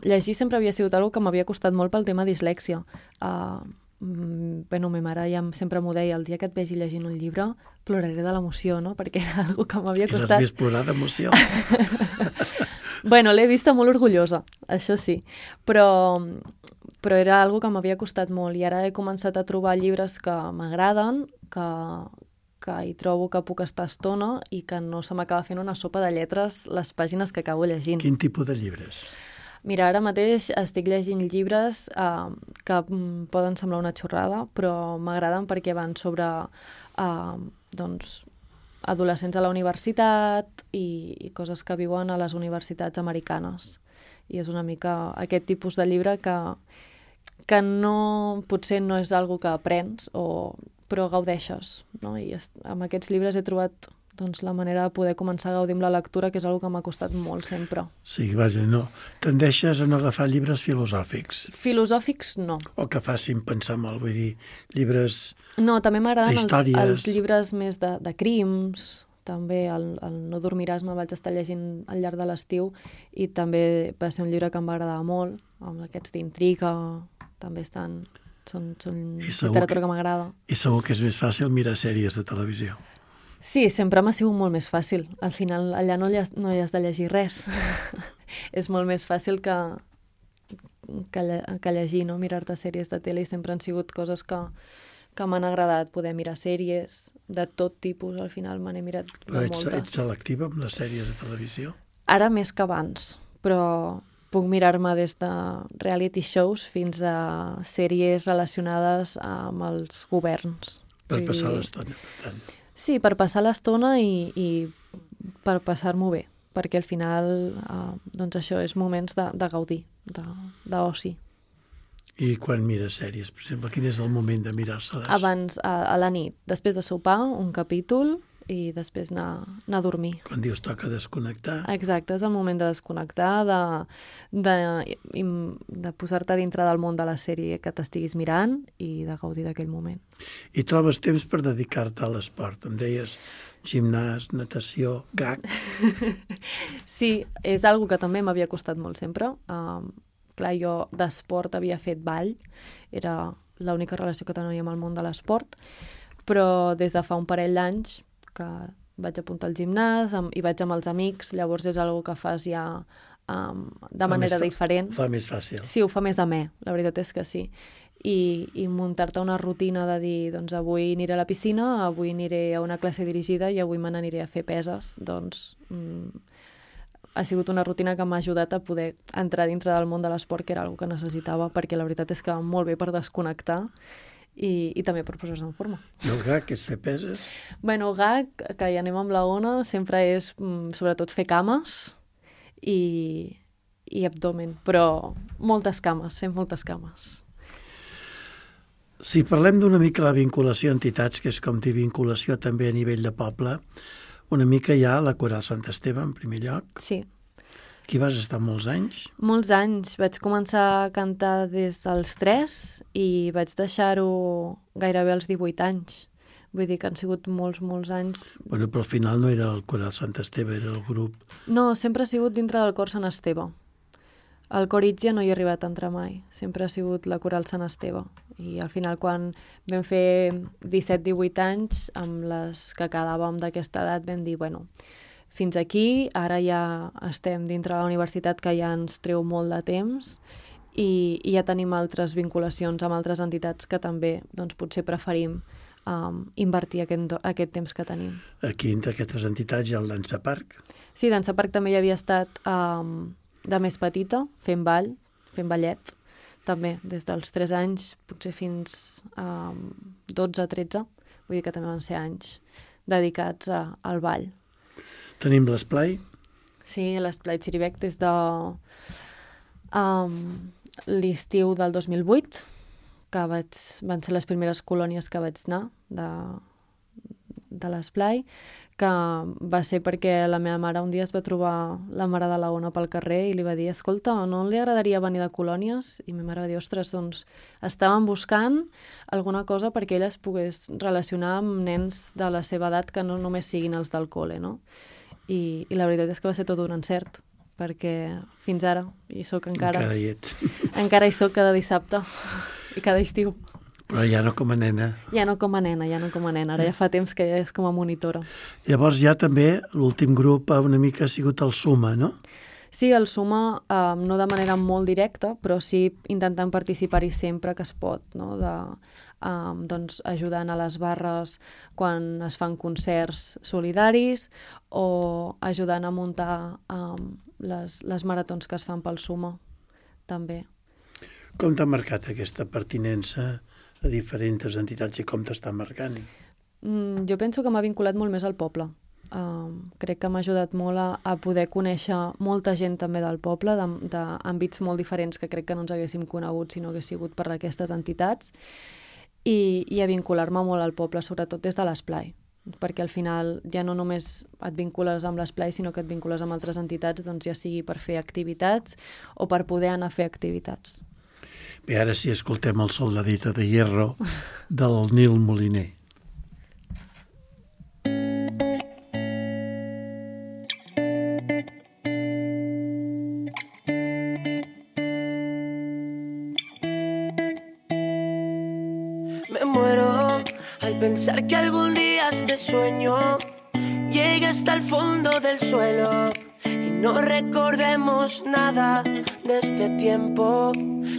llegir sempre havia sigut una cosa que m'havia costat molt pel tema dislèxia. Bueno, ma mare ja sempre m'ho deia, el dia que et vegi llegint un llibre ploraré de l'emoció, no? Perquè era una cosa que m'havia costat. I l'has vist plorar d'emoció? Bueno, l'he vista molt orgullosa, això sí, però era algo que m'havia costat molt i ara he començat a trobar llibres que m'agraden, que hi trobo que puc estar estona i que no se m'acaba fent una sopa de lletres les pàgines que acabo llegint. Quin tipus de llibres? Mira, ara mateix estic llegint llibres que poden semblar una xorrada, però m'agraden perquè van sobre doncs, adolescents a la universitat i coses que viuen a les universitats americanes. I és una mica aquest tipus de llibre que no, potser no és algo que aprens, però gaudeixes, no? I amb aquests llibres he trobat doncs, la manera de poder començar a gaudir amb la lectura, que és una cosa que m'ha costat molt sempre. Sí, vaja, no. Tendeixes a no agafar llibres filosòfics. Filosòfics, no. O que facin pensar molt, vull dir, llibres... No, també m'agraden històries. els llibres més de crims, també el No dormiràs me'l vaig estar llegint al llarg de l'estiu i també va ser un llibre que em va agradar molt, amb aquests d'intriga, també són literatura que m'agrada. I segur que és més fàcil mirar sèries de televisió. Sí, sempre m'ha sigut molt més fàcil. Al final allà no hi has de llegir res. És molt més fàcil que llegir, no? Mirar-te sèries de tele, i sempre han sigut coses que m'han agradat, poder mirar sèries de tot tipus. Al final me n'he mirat de moltes. Però ets selectiva amb les sèries de televisió? Ara més que abans, però puc mirar-me des de reality shows fins a sèries relacionades amb els governs. Per passar l'estona, per tant. Sí, per passar l'estona i per passar-m'ho bé, perquè al final doncs això és moments de gaudir, d'oci. I quan mires sèries, per exemple, quin és el moment de mirar-se-les? Abans, a la nit, després de sopar, un capítol i després anar a dormir. Quan dius toca desconnectar? Exacte, és el moment de desconnectar, de posar-te dintre del món de la sèrie que t'estiguis mirant i de gaudir d'aquell moment. I trobes temps per dedicar-te a l'esport? Em deies gimnàs, natació, gag... Sí, és algo que també m'havia costat molt sempre. Clar, jo d'esport havia fet ball, era l'única relació que tenia amb el món de l'esport, però des de fa un parell d'anys que vaig apuntar al gimnàs i vaig amb els amics, llavors és una que fas ja de manera diferent. Fa més fàcil. Sí, ho fa més amè, la veritat és que sí. I muntar-te una rutina de dir, doncs avui aniré a la piscina, avui aniré a una classe dirigida i avui me n'aniré a fer peses, doncs ha sigut una rutina que m'ha ajudat a poder entrar dintre del món de l'esport, que era una que necessitava, perquè la veritat és que molt bé per desconnectar i també per posar-se en forma. I el GAC és fer peses? Bueno, el GAC, que hi anem amb la Ona, sempre és sobretot fer cames i abdomen, però moltes cames, fem moltes cames. Si parlem d'una mica la vinculació a entitats, que és com dir vinculació també a nivell de poble, una mica hi ha la Coral Sant Esteve, en primer lloc. Sí. Aquí vas estar molts anys. Molts anys. Vaig començar a cantar des dels 3 i vaig deixar-ho gairebé als 18 anys. Vull dir que han sigut molts, molts anys. Bueno, però al final no era el Coral Sant Esteve, era el grup. No, sempre ha sigut dintre del cor Sant Esteve. Al cor Itgia no hi he arribat a entrar mai. Sempre ha sigut la Coral Sant Esteve. I al final, quan vam fer 17-18 anys, amb les que quedàvem d'aquesta edat, vam dir, bueno, fins aquí, ara ja estem dintre de la universitat, que ja ens treu molt de temps, i ja tenim altres vinculacions amb altres entitats que també doncs, potser preferim invertir aquest temps que tenim. Aquí, entre aquestes entitats, hi ha el Dansa Parc. Sí, Dansa Parc també hi havia estat de més petita, fent ball, fent ballet, també des dels 3 anys, potser fins a 12-13, vull dir que també van ser anys dedicats al ball. Tenim l'Esplai. Sí, l'Esplai Xirivec des de l'estiu del 2008, que van ser les primeres colònies que vaig anar de l'Esplai, que va ser perquè la meva mare un dia es va trobar la mare de la Ona pel carrer i li va dir, escolta, no li agradaria venir de colònies? I ma mare va dir, ostres, doncs estaven buscant alguna cosa perquè ella es pogués relacionar amb nens de la seva edat que no només siguin els del col·le, no? I la veritat és que va ser tot un encert, perquè fins ara hi soc encara. Encara hi ets. Encara hi soc cada dissabte i cada estiu. Però ja no com a nena. Ja no com a nena. Ara ja fa temps que ja és com a monitora. Llavors ja també l'últim grup una mica ha sigut el Suma, no? Sí, el Suma no de manera molt directa, però sí intentant participar-hi sempre que es pot, no? Doncs ajudant a les barres quan es fan concerts solidaris o ajudant a muntar les maratons que es fan pel Suma, també. Com t'ha marcat aquesta pertinença a diferents entitats i com t'està marcant? Jo penso que m'ha vinculat molt més al poble. Crec que m'ha ajudat molt a poder conèixer molta gent també del poble, d'àmbits molt diferents que crec que no ens haguéssim conegut si no hagués sigut per aquestes entitats, i a vincular-me molt al poble, sobretot des de l'Esplai, perquè al final ja no només et vincules amb l'Esplai, sinó que et vincules amb altres entitats, doncs ja sigui per fer activitats o per poder anar a fer activitats. Bé, ara sí escoltem el Soldadito de Hierro del Nil Moliner. Me muero al pensar que algún día este sueño llegue hasta el fondo del suelo y no recordemos nada de este tiempo.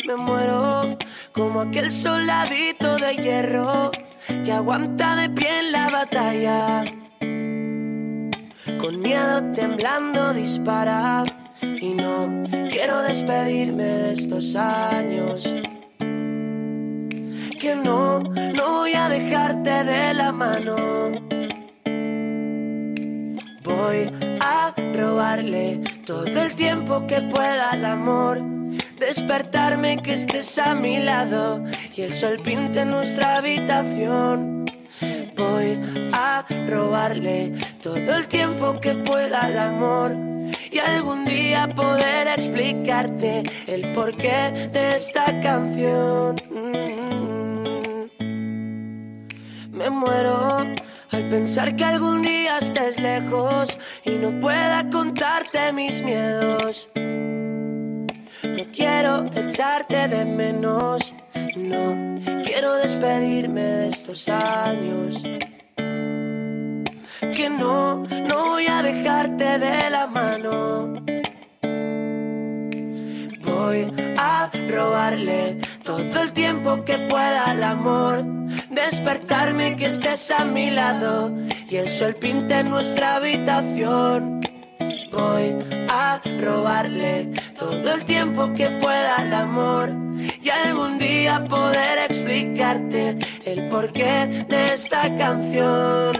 Me muero como aquel soldadito de hierro que aguanta de pie en la batalla. Con miedo temblando dispara y no quiero despedirme de estos años. Que no voy a dejarte de la mano. Voy a robarle todo el tiempo que pueda al amor. Despertarme que estés a mi lado y el sol pinte nuestra habitación. Voy a robarle todo el tiempo que pueda al amor y algún día poder explicarte el porqué de esta canción. Me muero al pensar que algún día estés lejos y no pueda contarte mis miedos. No quiero echarte de menos, No quiero despedirme de estos años. Que no voy a dejarte de la mano. Voy a robarle todo el tiempo que pueda al amor. Despertarme que estés a mi lado y el sol pinte nuestra habitación. Voy a robarle todo el tiempo que pueda al amor y algún día poder explicarte el porqué de esta canción.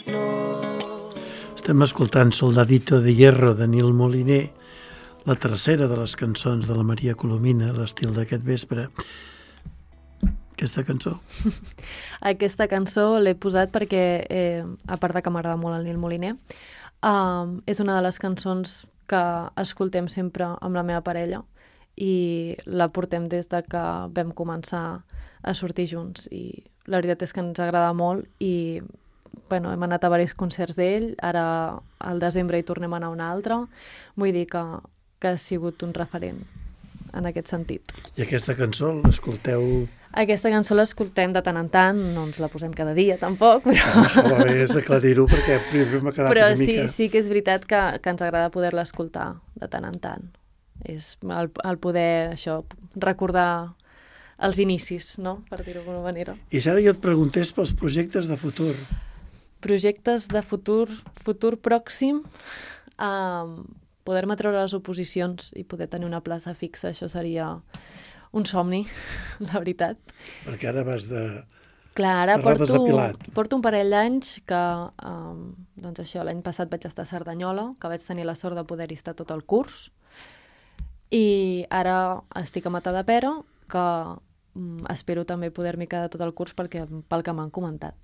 No. Estem escoltant Soldadito de Hierro de Nil Moliner, la tercera de les cançons de la Maria Colomina, l'estil d'aquest vespre. Aquesta cançó? Aquesta cançó l'he posat perquè, a part de que m'agrada molt el Nil Moliner, és una de les cançons que escoltem sempre amb la meva parella i la portem des de que vam començar a sortir junts i la veritat és que ens agrada molt i bueno, hem anat a diversos concerts d'ell, ara al desembre hi tornem a anar a un altre, vull dir que ha sigut un referent en aquest sentit. I aquesta cançó l'escolteu... Aquesta cançó l'escoltem de tant en tant, no ens la posem cada dia tampoc, però... Això va bé és aclarir-ho perquè primer m'ha quedat però una mica... sí que és veritat que ens agrada poder-la escoltar de tant en tant. És el poder, això, recordar els inicis, no?, per dir-ho d'alguna manera. I si ara jo et preguntés pels projectes de futur? Projectes de futur pròxim, poder-me treure les oposicions i poder tenir una plaça fixa, això seria un somni, la veritat. Perquè ara vas de... Clar, ara Rodes de Pilat. porto un parell d'anys que, doncs això, l'any passat vaig estar a Cerdanyola, que vaig tenir la sort de poder-hi estar tot el curs, i ara estic a Matadepera, que espero també poder-m'hi quedar tot el curs pel que m'han comentat.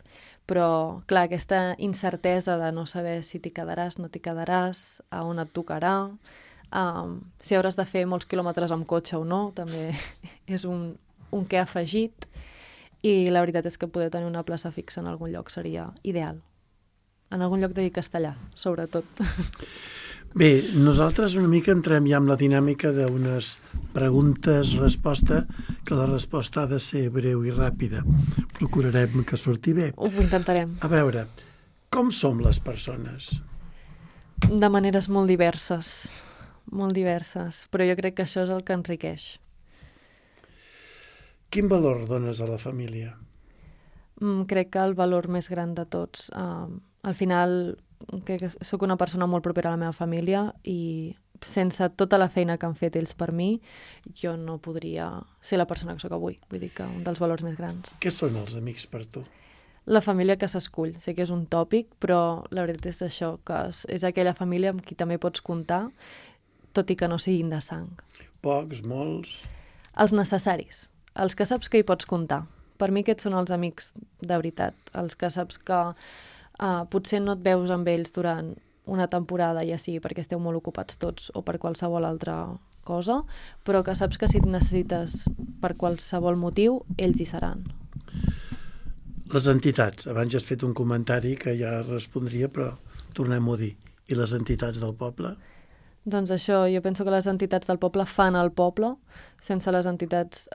Però, clar, aquesta incertesa de no saber si t'hi quedaràs, no t'hi quedaràs, a on et tocarà, si hauràs de fer molts quilòmetres amb cotxe o no, també és un què afegit, i la veritat és que poder tenir una plaça fixa en algun lloc seria ideal. En algun lloc de castellà, sobretot. Bé, nosaltres una mica entrem ja amb la dinàmica d'unes preguntes-resposta, que la resposta ha de ser breu i ràpida. Procurarem que surti bé. Ho intentarem. A veure, com som les persones? De maneres molt diverses, però jo crec que això és el que enriqueix. Quin valor dones a la família? Crec que el valor més gran de tots. Al final, crec que sóc una persona molt propera a la meva família i sense tota la feina que han fet ells per mi, jo no podria ser la persona que sóc avui. Vull dir que un dels valors més grans. Què són els amics per tu? La família que s'escull. Sé que és un tòpic, però la veritat és això, que és aquella família amb qui també pots comptar, tot i que no siguin de sang. Pocs, molts... Els necessaris, els que saps que hi pots comptar. Per mi aquests són els amics de veritat, els que saps que potser no et veus amb ells durant una temporada, ja sigui perquè esteu molt ocupats tots o per qualsevol altra cosa, però que saps que si et necessites per qualsevol motiu, ells hi seran. Les entitats. Abans ja has fet un comentari que ja respondria, però tornem-ho a dir. I les entitats del poble? Doncs això, jo penso que les entitats del poble fan el poble. Sense les entitats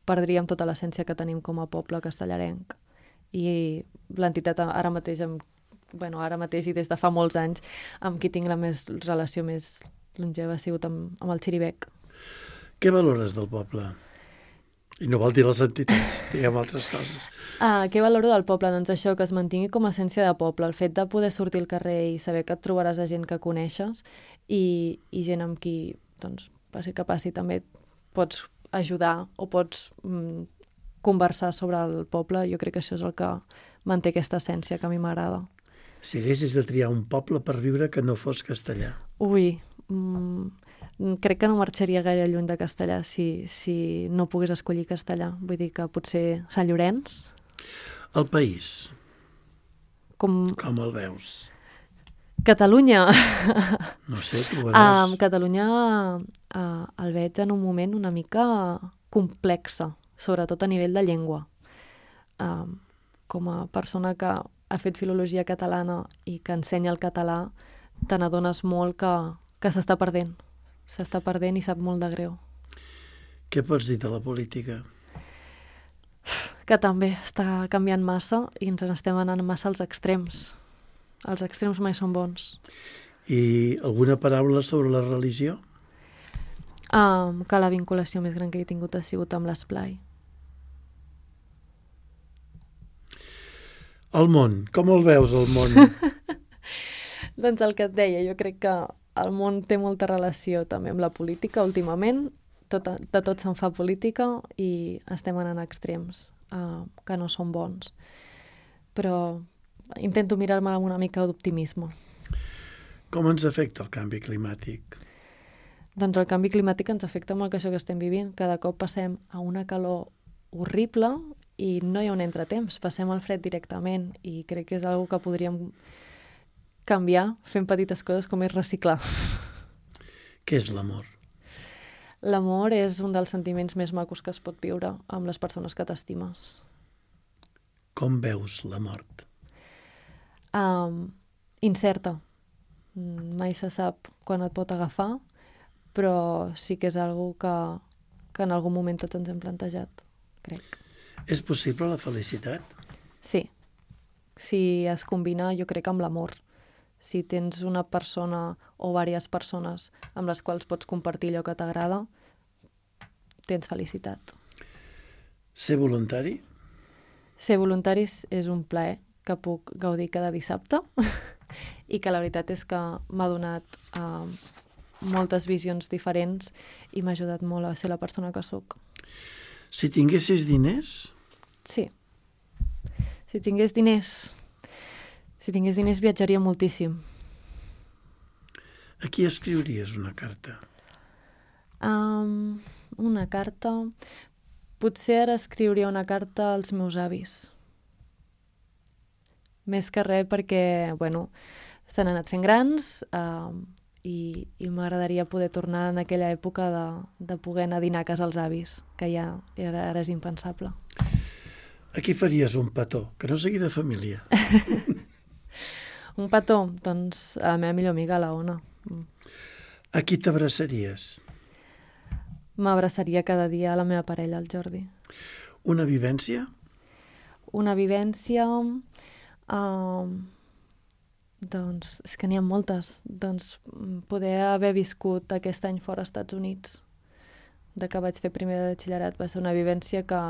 perdríem tota l'essència que tenim com a poble castellarenc. I l'entitat ara mateix i des de fa molts anys, amb qui tinc la relació més longeva ha sigut amb el Xiribec. Què valores del poble? I no vol dir les entitats, diguem altres coses. Què valoro del poble? Doncs això, que es mantingui com a essència de poble, el fet de poder sortir al carrer i saber que et trobaràs a gent que coneixes i gent amb qui, doncs, passi que passi, també pots ajudar o pots conversar sobre el poble. Jo crec que això és el que manté aquesta essència que a mi m'agrada. Si haguessis de triar un poble per viure que no fos castellà. Ui, crec que no marxaria gaire lluny de castellà si no pogués escollir castellà. Vull dir que potser Sant Llorenç. El país, Com el veus? Catalunya. No sé, tu veuràs. Catalunya el veig en un moment una mica complexa, sobretot a nivell de llengua. Com a persona que ha fet filologia catalana i que ensenya el català, te n'adones molt que s'està perdent. S'està perdent i sap molt de greu. Què pots dir de la política? que també està canviant massa i ens n'estem anant massa als extrems. Els extrems mai són bons. I alguna paraula sobre la religió? Que la vinculació més gran que he tingut ha sigut amb l'esplai. El món, com el veus, el món? Doncs el que et deia, jo crec que el món té molta relació també amb la política últimament. De tot se'n fa política i estem anant a extrems que no són bons. Però intento mirar-me amb una mica d'optimisme. Com ens afecta el canvi climàtic? Doncs el canvi climàtic ens afecta molt que això que estem vivint. Cada cop passem a una calor horrible i no hi ha un entretemps, passem al fred directament i crec que és una que podríem canviar fent petites coses com és reciclar. Què és l'amor? L'amor és un dels sentiments més macos que es pot viure amb les persones que t'estimes. Com veus la mort? Incerta. Mai se sap quan et pot agafar, però sí que és algo que en algun moment tots ens hem plantejat, crec. És possible la felicitat? Sí. Si es combina, jo crec, amb l'amor. Si tens una persona o diverses persones amb les quals pots compartir allò que t'agrada, tens felicitat. Ser voluntari? Ser voluntaris és un plaer que puc gaudir cada dissabte i que la veritat és que m'ha donat moltes visions diferents i m'ha ajudat molt a ser la persona que sóc. Si tinguessis diners? Sí. Si tingués diners viatjaria moltíssim. A qui escriuries una carta? Una carta... Potser ara escriuria una carta als meus avis. Més que res perquè, bueno, s'han anat fent grans i m'agradaria poder tornar en aquella època de poder anar a dinar a casa als avis, que ja ara és impensable. A qui faries un petó? Que no sigui de família. Un petó? Doncs a la meva millor amiga, la Ona. A qui t'abraçaries? M'abraçaria cada dia a la meva parella, el Jordi. Una vivència? Una vivència... doncs, és que n'hi ha moltes. Doncs poder haver viscut aquest any fora als Estats Units, de que vaig fer primer de batxillerat, va ser una vivència que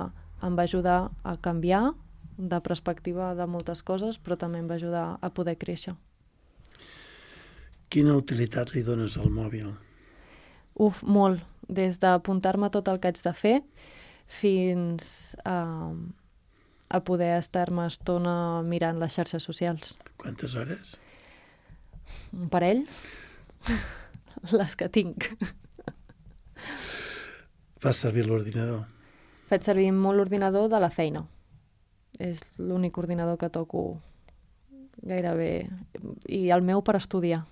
em va ajudar a canviar de perspectiva de moltes coses, però també em va ajudar a poder créixer. Quina utilitat li dones al mòbil? Molt. Des d'apuntar-me tot el que haig de fer fins a poder estar-me estona mirant les xarxes socials. Quantes hores? Un parell? Les que tinc. Fas servir l'ordinador? Faig servir molt l'ordinador de la feina. És l'únic ordinador que toco gairebé. I el meu per estudiar.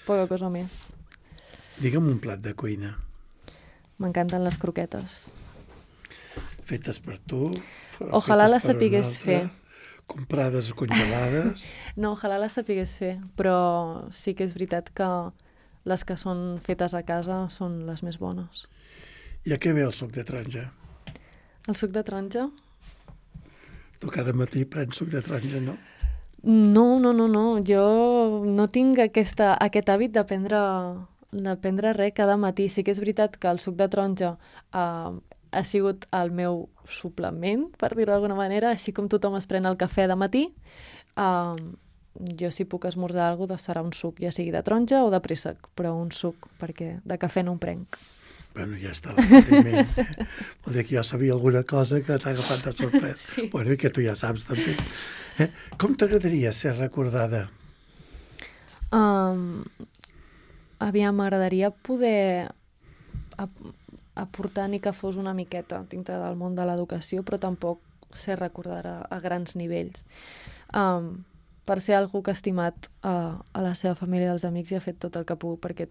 Poca cosa més. Digue'm un plat de cuina. M'encanten les croquetes. Fetes per tu? Ojalà fetes les per un sapigués altre, fer. Comprades o congelades? No, ojalà les sapigués fer, però sí que és veritat que les que són fetes a casa són les més bones. I a què ve el suc de taronja? El suc de taronja? Tu cada matí prens suc de taronja, no? No. Jo no tinc aquest hàbit de prendre res cada matí. Sí que és veritat que el suc de taronja ha sigut el meu suplement, per dir-ho d'alguna manera, així com tothom es pren el cafè de matí. Jo si puc esmorzar alguna cosa serà un suc, ja sigui de taronja o de préssec, però un suc, perquè de cafè no en prenc. Bueno, ja està l'enteniment. Vol dir que jo sabia alguna cosa que t'ha agafat de sorpresa. Sí. Bueno, i que tu ja saps també. Com t'agradaria ser recordada? Aviam, m'agradaria poder aportar ni que fos una miqueta dintre del món de l'educació, però tampoc ser recordada a grans nivells. Per ser algú que ha estimat a la seva família i als amics i ha fet tot el que ha pogut perquè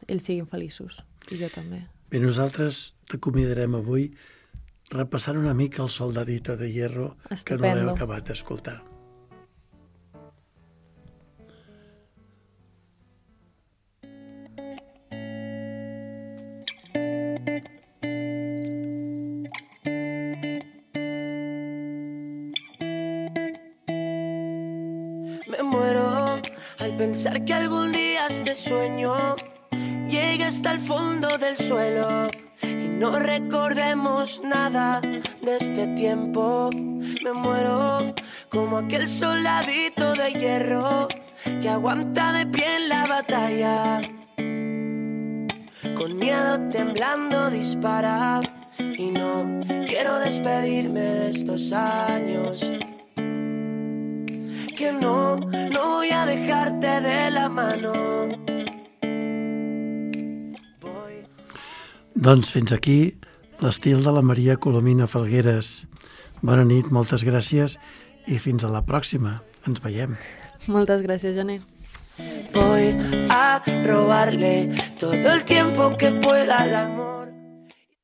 ells siguin feliços, i jo també. Bé, nosaltres t'acomiadarem avui repassant una mica el Soldadito de Hierro, que no l'hem Estupendo. acabat d'escoltar. al pensar que algún día este sueño llegue hasta el fondo del suelo y no recordemos nada de este tiempo. Me muero como aquel soldadito de hierro que aguanta de pie en la batalla. Con miedo temblando dispara y no quiero despedirme de estos años. Que no voy a dejarte de la mano. Doncs fins aquí l'estil de la Maria Colomina Falgueres. Bona nit, moltes gràcies i fins a la pròxima. Ens veiem. Moltes gràcies, Jané. Voy a robarle todo el tiempo que pueda al amor.